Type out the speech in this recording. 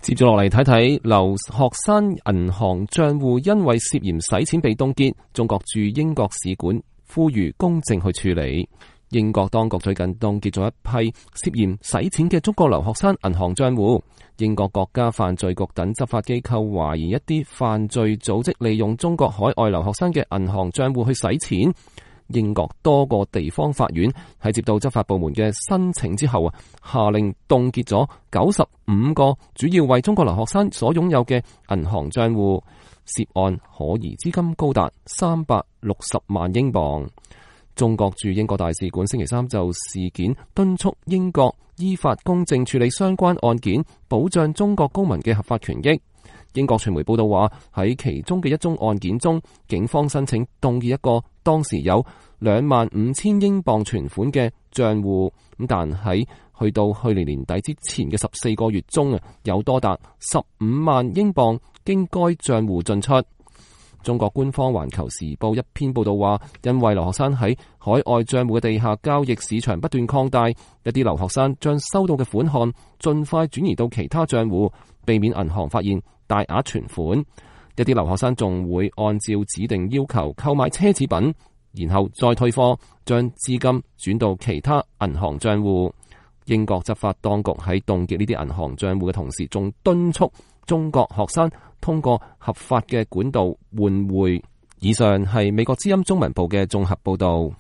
接住落嚟睇睇留學生銀行賬戶因為涉嫌洗錢被凍結，中國駐英國使館呼籲公正去處理。英國當局最近凍結咗一批涉嫌洗錢嘅中國留學生銀行賬戶。英國國家犯罪局等執法機構懷疑一啲犯罪組織利用中國海外留學生嘅銀行賬戶去洗錢。英國多個地方法院喺接到執法部門嘅申請之後下令凍結咗95個主要為中國留學生所擁有嘅銀行賬戶，涉案可疑資金高達360萬英鎊。中國駐英國大使館星期三就事件敦促英國依法公正處理相關案件，保障中國公民嘅合法權益。英國傳媒報道話，喺其中嘅一宗案件中，警方申請凍結一個當時有25,000英鎊存款嘅賬戶，但喺去到去年年底之前嘅14個月中有多達15萬英鎊經該賬戶進出。中國官方環球時報一篇報道話，因為留學生喺海外賬戶嘅地下交易市場不斷擴大，一啲留學生將收到嘅款項盡快轉移到其他賬戶，避免銀行發現大額存款。一啲留學生仲會按照指定要求購買奢侈品，然後再退貨，將資金轉到其他銀行賬戶。英國執法當局喺凍結呢啲銀行賬戶嘅同時，仲敦促中國學生通過合法嘅管道換匯。以上係美國之音中文部嘅綜合報道。